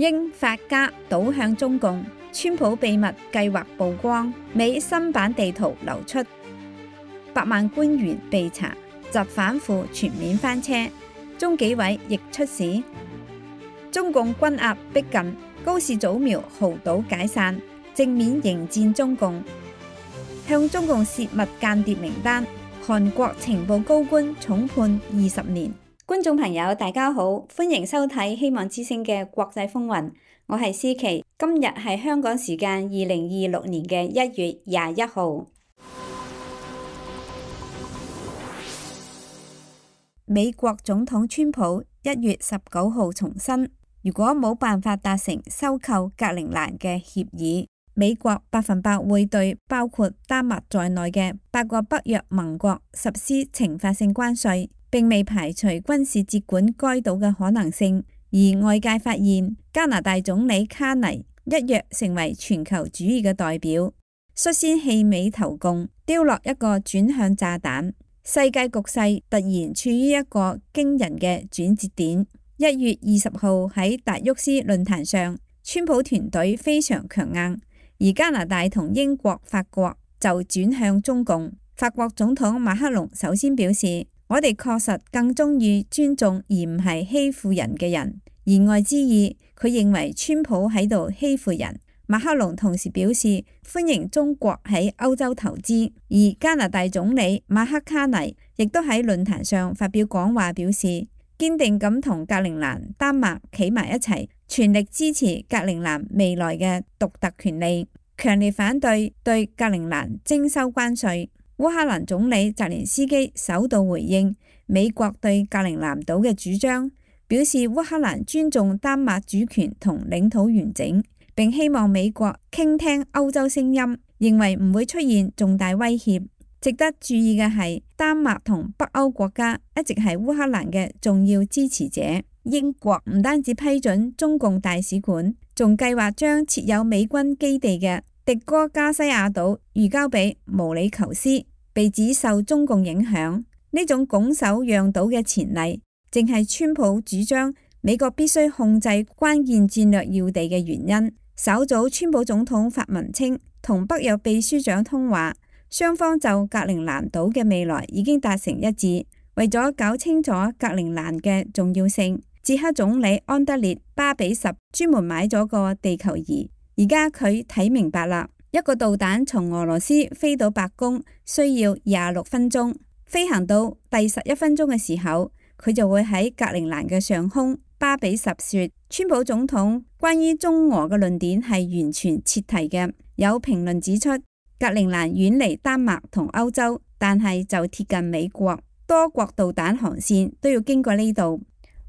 英法加倒向中共，川普秘密計劃曝光，美新版地圖流出，百萬官員被查，疾反腐全面翻車，中紀委亦出事。中共軍壓逼近，高市早苗豪賭解散，正面迎戰中共，向中共泄密間諜名單，韓國情報高官重判20年。觀眾朋友大家好，歡迎收睇希望之聲嘅國際風雲，我係思琪，今日係香港時間2026年嘅1月21號。美國總統川普1月19號重申，如果冇辦法達成收購格陵蘭嘅協議，美國100%會對包括丹麥在內嘅8個北約盟國實施懲罰性關稅，並未排除軍事接管該島嘅可能性。而外界發現，加拿大總理卡尼一躍成為全球主義嘅代表，率先棄美投共，丟落一個轉向炸彈。世界局勢突然處於一個驚人嘅轉折點。1月20號喺達沃斯論壇上，川普團隊非常強硬，而加拿大同英國、法國就轉向中共。法國總統馬克龍首先表示，我哋確實更鍾意尊重而唔係欺負人嘅人，言外之意，佢認為川普喺度欺負人。馬克龍同時表示歡迎中國喺歐洲投資，而加拿大總理馬克卡尼亦都喺論壇上發表講話，表示堅定咁同格陵蘭、丹麥企埋一齊，全力支持格陵蘭未來嘅獨特權利，強烈反對對格陵蘭徵收關稅。烏克蘭總理澤連斯基首度回應美國對格陵蘭島嘅主張，表示烏克蘭尊重丹麥主權同領土完整，並希望美國傾聽歐洲聲音，認為唔會出現重大威脅。值得注意嘅係，丹麥同北歐國家一直係烏克蘭嘅重要支持者。英國唔單止批准中共大使館，仲計劃將設有美軍基地嘅迪戈加西亞島移交俾毛里求斯，被指受中共影響。呢種拱手讓島嘅前例，正係川普主張美國必須控制關鍵戰略要地嘅原因。稍早川普總統發文稱，同北約秘書長通話，雙方就格陵蘭島嘅未來已經達成一致。為咗搞清楚格陵蘭嘅重要性，捷克總理安德烈巴比什專門買咗個地球儀。而家佢睇明白啦，一個導彈從俄羅斯飛到白宮需要26分鐘，飛行到第11分鐘嘅時候，佢就會喺格陵蘭嘅上空。巴比什說，川普總統關於中俄嘅論點係完全切題嘅。有評論指出，格陵蘭遠離丹麥同歐洲，但係就貼近美國，多國導彈航線都要經過呢度。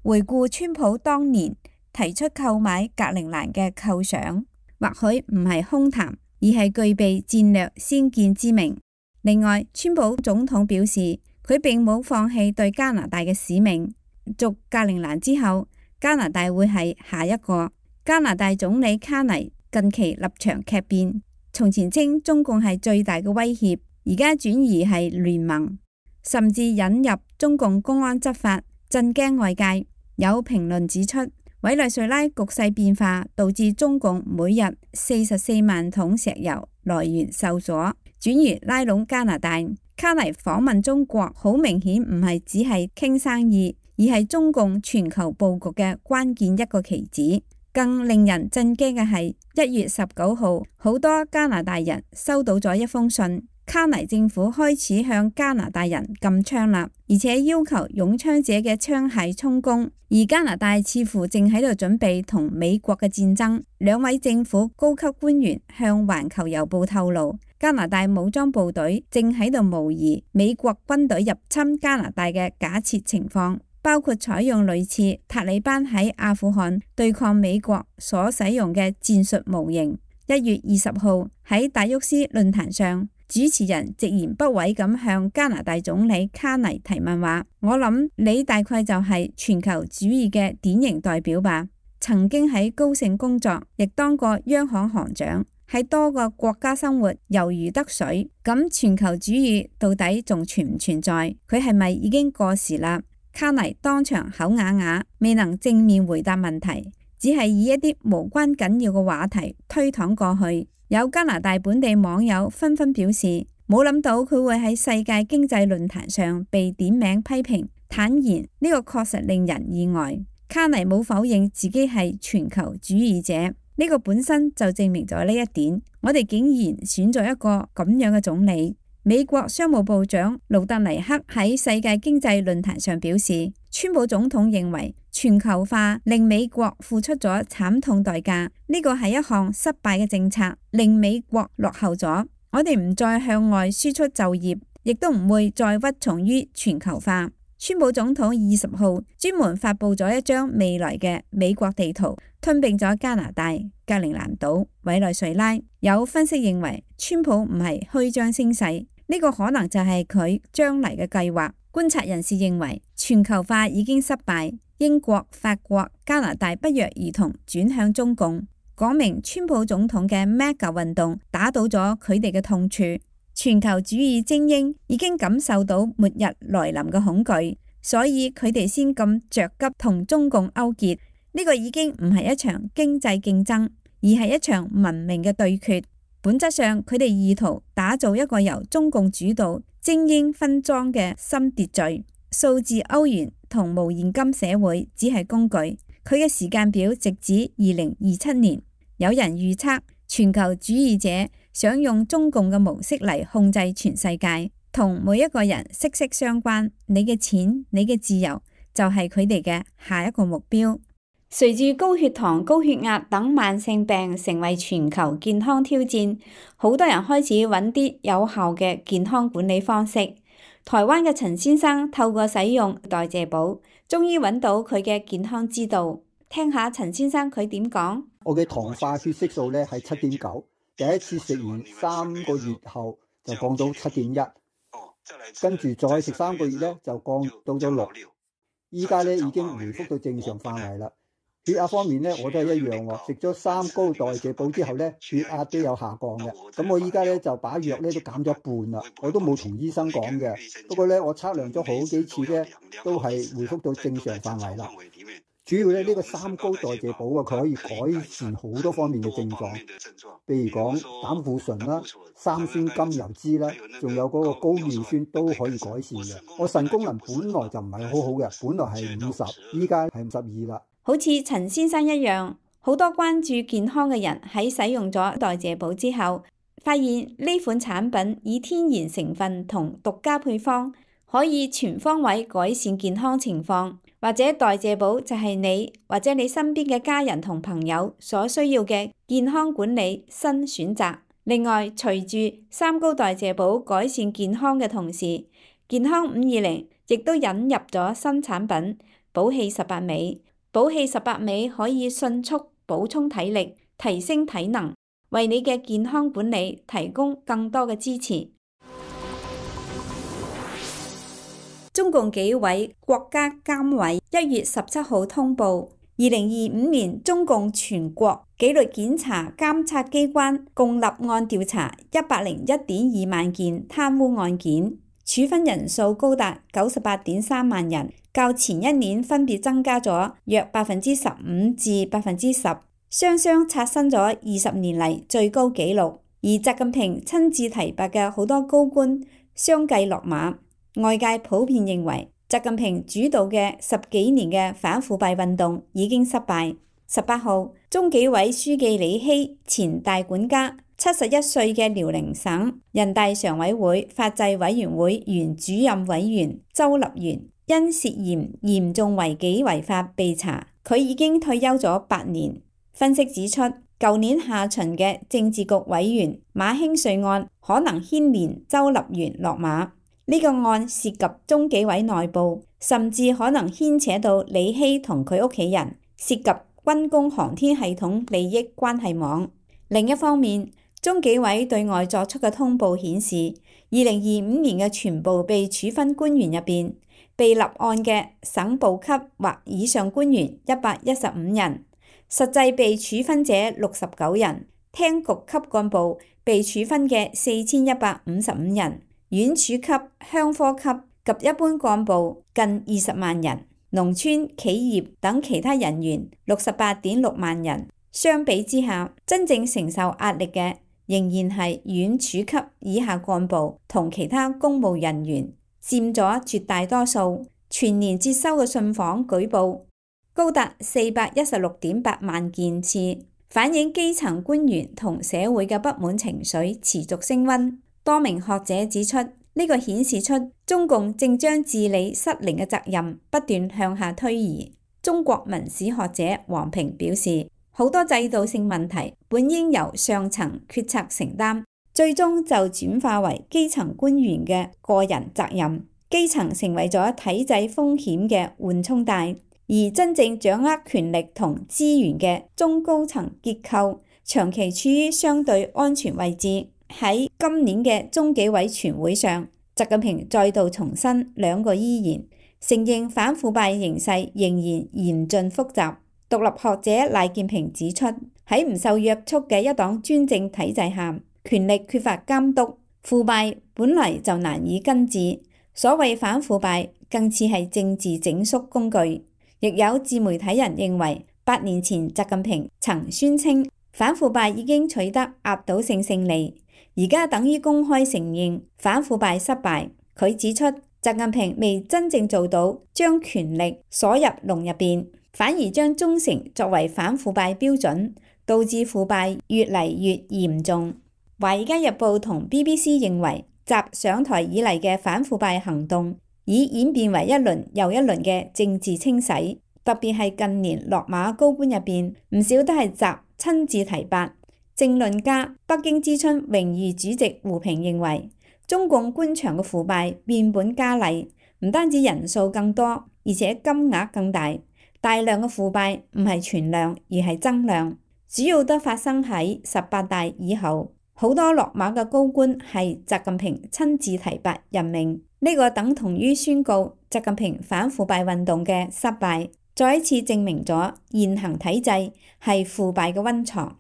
回顧川普當年提出購買格陵蘭嘅構想，或許唔係空談，而係具備戰略先見之明。另外，川普總統表示，佢並冇放棄對加拿大嘅使命。續格陵蘭之後，加拿大會係下一個。加拿大總理卡尼近期立場劇變，從前稱中共係最大嘅威脅，而家轉移係聯盟，甚至引入中共公安執法，震驚外界。有評論指出，委內瑞拉局勢變化導致中共每日44萬桶石油來源受阻，轉移拉攏加拿大。卡尼訪問中國，好明顯唔係只係傾生意，而係中共全球佈局嘅關鍵一個棋子。更令人震驚嘅係1月19號，好多加拿大人收到咗一封信，卡尼政府開始向加拿大人禁槍啦，而且要求擁槍者嘅槍械充公。而加拿大似乎正喺度準備同美國嘅戰爭。兩位政府高級官員向環球郵報透露，加拿大武裝部隊正喺度模擬美國軍隊入侵加拿大嘅假設情況，包括採用類似塔利班喺阿富汗對抗美國所使用嘅戰術模型。1月20號喺達沃斯論壇上，主持人直言不諱咁向加拿大總理卡尼提問話，我諗你大概就係全球主義嘅典型代表吧。曾經喺高盛工作，亦當過央行行長，喺多個國家生活猶如得水。咁全球主義到底仲存唔存在？佢係咪已經過時啦？卡尼當場口啞啞，未能正面回答問題，只係以一啲無關緊要嘅話題推搪過去。有加拿大本地網友紛紛表示，冇諗到佢會喺世界經濟論壇上被點名批評，坦言呢個確實令人意外。卡尼冇否認自己係全球主義者，呢個本身就證明咗呢一點。我哋竟然選咗一個咁樣嘅總理。美國商務部長盧特尼克喺世界經濟論壇上表示，川普總統認為全球化令美國付出咗慘痛代價，呢個係一項失敗嘅政策，令美國落後咗。我哋唔再向外輸出就業，亦都唔會再屈從於全球化。川普總統20號專門發佈咗一張未來嘅美國地圖，吞併咗加拿大、格陵蘭島、委內瑞拉。有分析認為，川普唔係虛張聲勢，呢個可能就係佢將嚟嘅計劃。觀察人士認為，全球化已經失敗，英國、法國、加拿大不約而同轉向中共，講明川普總統嘅 MAGA 運動打倒咗佢哋嘅痛處。全球主義精英已經感受到末日來臨嘅恐懼，所以佢哋先咁着急同中共勾結。呢個已經唔係一場經濟競爭，而係一場文明嘅對決。本質上，佢哋意圖打造一個由中共主導、精英分贓嘅新秩序。數字歐元同無現金社會只係工具，佢嘅時間表直指2027年。有人預測，全球主義者想用中共嘅模式嚟控制全世界，同每一個人息息相關。你嘅錢、你嘅自由就係佢哋嘅下一個目標。隨住高血糖、高血壓等慢性病成為全球健康挑戰，好多人開始揾啲有效嘅健康管理方式。台灣嘅陳先生透過使用代謝寶，終於揾到佢嘅健康之道。聽下陳先生佢點講。我嘅糖化血色素咧係7.9，第一次食完3個月後就降到7.1，跟住再食3個月咧就降到咗6，依家咧已經回復到正常範圍啦。血壓方面咧我都係一樣喎，食咗3高代謝寶之後咧血壓都有下降嘅。咁我依家咧就把藥咧都減咗一半啦，我都冇同醫生講嘅。不過咧我測量咗好幾次咧都係回復到正常範圍啦。主要咧呢個3高代謝寶啊，佢可以改善好多方面嘅症狀，譬如講膽固醇啦、三酸甘油酯啦，仲有嗰個高尿酸都可以改善嘅。我腎功能本來就唔係好好嘅，本來係50，依家係52啦。好似陳先生一樣，好多關注健康嘅人喺使用咗代謝寶之後，發現呢款產品以天然成分同獨家配方，可以全方位改善健康情況。或者代謝寶就係你或者你身邊嘅家人同朋友所需要嘅健康管理新選擇。另外，隨住3高代謝寶改善健康嘅同時，健康520亦都引入咗新產品寶氣18味。寶氣18味可以迅速補充體力，提升體能，為你嘅健康管理提供更多嘅支持。中共紀委國家監委1月17號通報，2025年中共全國紀律檢查監察機關共立案調查101.2萬件貪污案件，處分人數高達98.3萬人，較前一年分別增加咗約15%至10%，雙雙刷新咗20年嚟最高紀錄。而習近平親自提拔嘅好多高官相繼落馬。外界普遍認為，習近平主導嘅10幾年嘅反腐敗運動已經失敗。18號，中紀委書記李希、前大管家、71歲嘅遼寧省人大常委會法制委員會原主任委員周立源，因涉嫌嚴重違紀違法被查，佢已經退休咗8年。分析指出，舊年下旬嘅政治局委員馬興瑞案可能牽連周立源落馬。呢個案涉及中紀委內部，甚至可能牽扯到李希同佢屋企人，涉及軍工航天系統利益關係網。另一方面，中紀委對外作出嘅通報顯示，2025年嘅全部被處分官員入邊，被立案嘅省部級或以上官員115人，實際被處分者69人，廳局級幹部被處分嘅4155人。縣處級、鄉科級及一般幹部近20萬人。農村企業等其他人員68.6萬人。相比之下，真正承受壓力嘅仍然係縣處級以下幹部同其他公務人員，佔咗絕大多數。全年接收嘅信訪舉報高達416.8萬件次，反映基層官員同社會嘅不滿情緒持續升溫。多名學者指出，呢個顯示出中共正將治理失靈嘅責任不斷向下推移。中國文史學者王平表示，好多制度性問題本應由上層決策承擔，最終就轉化為基層官員嘅個人責任。基層成為咗體制風險嘅緩衝帶，而真正掌握權力同資源嘅中高層結構長期處於相對安全位置。喺今年嘅中紀委全會上，習近平再度重申兩個依然，承認反腐敗形勢仍然嚴峻複雜。獨立學者賴建平指出，喺唔受約束嘅一黨專政體制下，權力缺乏監督，腐敗本嚟就難以根治。所謂反腐敗更似係政治整肅工具。亦有自媒體人認為，8年前習近平曾宣稱反腐敗已經取得壓倒性勝利，而家等於公開承認反腐敗失敗。佢指出，習近平未真正做到將權力鎖入籠入邊，反而將忠誠作為反腐敗標準，導致腐敗越嚟越嚴重。華爾街日報同 BBC 認為，習上台以嚟嘅反腐敗行動已演變為一輪又一輪嘅政治清洗，特別係近年落馬高官入邊，唔少都係習親自提拔。政論家北京之春榮譽主席胡平認為，中共官場嘅腐敗變本加厲，唔單止人數更多，而且金額更大。大量嘅腐敗唔係存量，而係增量，主要都發生喺18大以後。好多落馬嘅高官係習近平親自提拔任命，呢個等同於宣告習近平反腐敗運動嘅失敗，再一次證明咗現行體制係腐敗嘅溫床。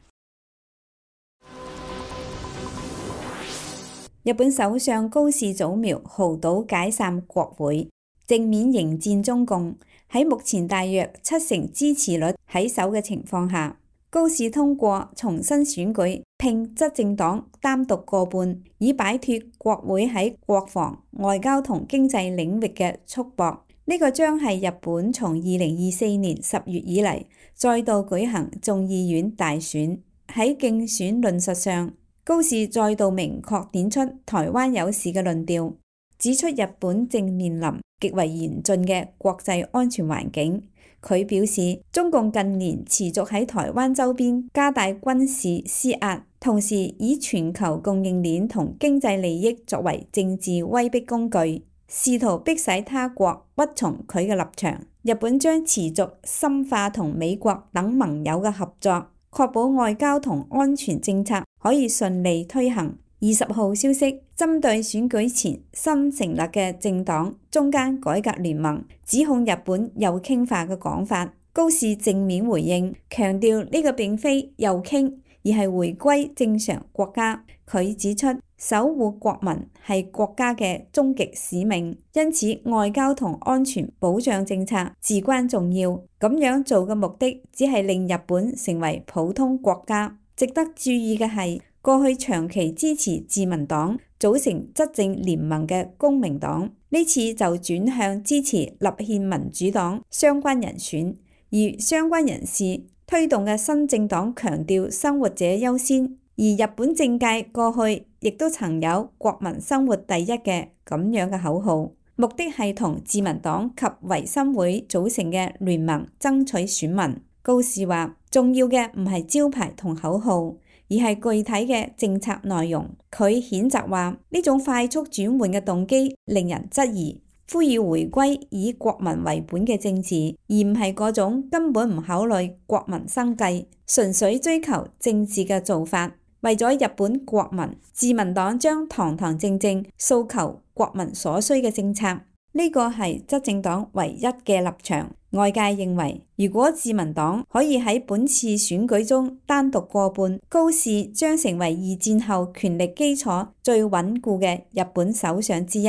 日本首相高市早苗豪賭解散國會，正面迎戰中共。喺目前大約70%支持率喺手嘅情況下，高市通過重新選舉拼執政黨單獨過半，以擺脫國會喺國防、外交同經濟領域嘅束縛。呢個將係日本從2024年10月以嚟再度舉行眾議院大選。喺競選論述上，高市再度明確點出台灣有事嘅論調，指出日本正面臨極為嚴峻嘅國際安全環境。佢表示，中共近年持續喺台灣周邊加大軍事施壓，同時以全球供應鏈同經濟利益作為政治威逼工具，試圖迫使他國屈從佢嘅立場。日本將持續深化同美國等盟友嘅合作，確保外交同安全政策可以順利推行。20號消息，針對選舉前新成立嘅政黨中間改革聯盟指控日本右傾化嘅講法，高市正面回應，強調呢個並非右傾，而係回歸正常國家。佢指出，守護國民係國家嘅終極使命，因此外交同安全保障政策至關重要。咁樣做嘅目的只係令日本成為普通國家。值得注意嘅係，過去長期支持自民黨組成執政聯盟嘅公明黨，呢次就轉向支持立憲民主黨相關人選，而相關人士推動嘅新政黨強調生活者優先，而日本政界過去亦都曾有國民生活第一嘅咁樣嘅口號，目的係同自民黨及維新會組成嘅聯盟爭取選民。高市話，重要嘅唔係招牌同口號，而係具體嘅政策內容。佢譴責話，呢種快速轉換嘅動機令人質疑，呼籲回歸以國民為本嘅政治，而唔係嗰種根本唔考慮國民生計，純粹追求政治嘅做法。為咗日本國民，自民黨將堂堂正正訴求國民所需嘅政策，呢個係執政黨唯一嘅立場。外界認為，如果自民黨可以喺本次選舉中單獨過半，高市將成為二戰後權力基礎最穩固嘅日本首相之一。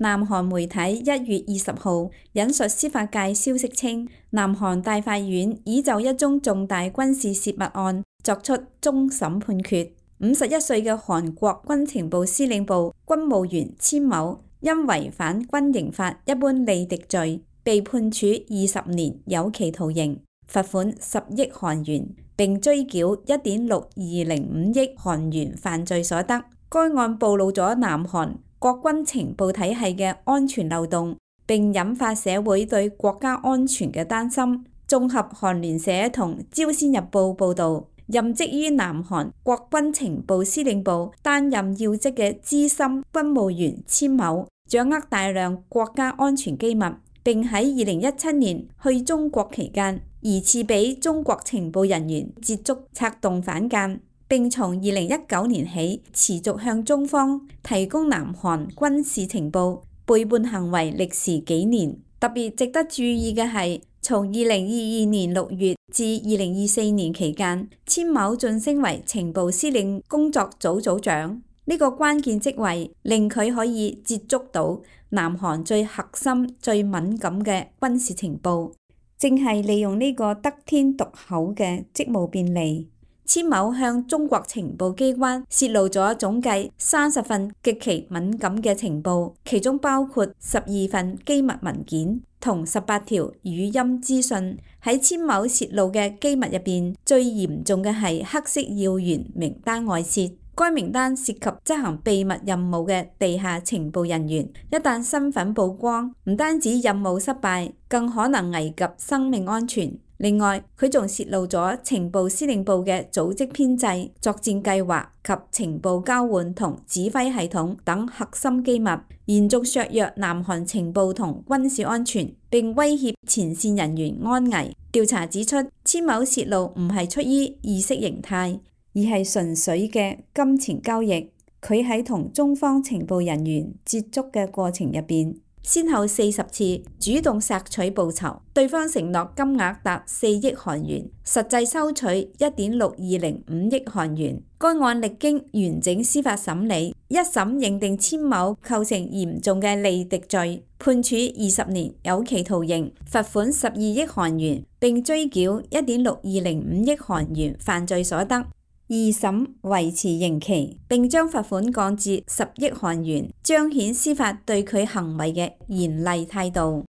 南韓媒體1月20號引述司法界消息稱，南韓大法院已就一宗重大軍事泄密案作出終審判決。51歲嘅韓國軍情部司令部軍務員千某因違反軍刑法一般利敵罪，被判處20年有期徒刑，罰款10億韓元，並追繳1.6205億韓元犯罪所得。該案暴露咗南韓國軍情報體系嘅安全漏洞，並引發社會對國家安全嘅擔心。綜合韓聯社同朝鮮日報報導，任職於南韓國軍情報司令部擔任要職嘅資深軍務員千某，掌握大量國家安全機密，並喺2017年去中國期間，疑似俾中國情報人員捷足策動反間。並從2019年起持續向中方提供南韓軍事情報，背叛行為歷時幾年。特別值得注意嘅係，從2022年6月至2024年期間，千某晉升為情報司令工作組組長。呢個關鍵職位令佢可以接觸到南韓最核心、最敏感嘅軍事情報，正係利用呢個得天獨厚嘅職務便利。千某向中國情報機關泄露咗總計30份極其敏感嘅情報，其中包括12份機密文件同18條語音資訊。喺千某泄露嘅機密入邊，最嚴重嘅係黑色要員名單外泄。該名單涉及執行秘密任務嘅地下情報人員，一旦身份曝光，唔單止任務失敗，更可能危及生命安全。另外，佢仲泄露咗情報司令部嘅組織編制、作戰計劃及情報交換同指揮系統等核心機密，嚴重削弱南韓情報同軍事安全，並威脅前線人員安危。調查指出，千某泄露唔係出於意識形態，而係純粹嘅金錢交易。佢喺同中方情報人員接觸嘅過程入邊，先後40次主動索取報酬，對方承諾金額達4億韓元，實際收取1.6205億韓元。該案歷經完整司法審理，一審認定千某構成嚴重嘅利敵罪，判處20年有期徒刑，罰款12億韓元，並追繳1.6205億韓元犯罪所得。二審維持刑期，並將罰款降至10億韓元，彰顯司法對佢行為嘅嚴厲態度。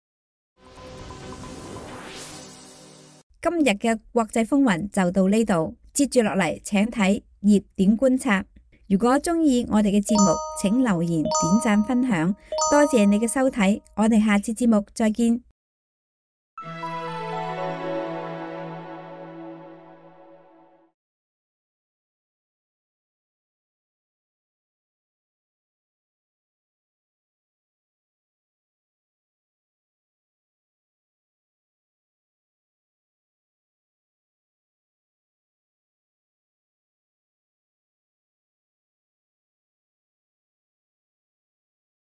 今日嘅國際風雲就到呢度，接住落嚟請睇熱點觀察。如果鍾意我哋嘅節目，請留言、點讚、分享，多謝你嘅收睇，我哋下次節目再見。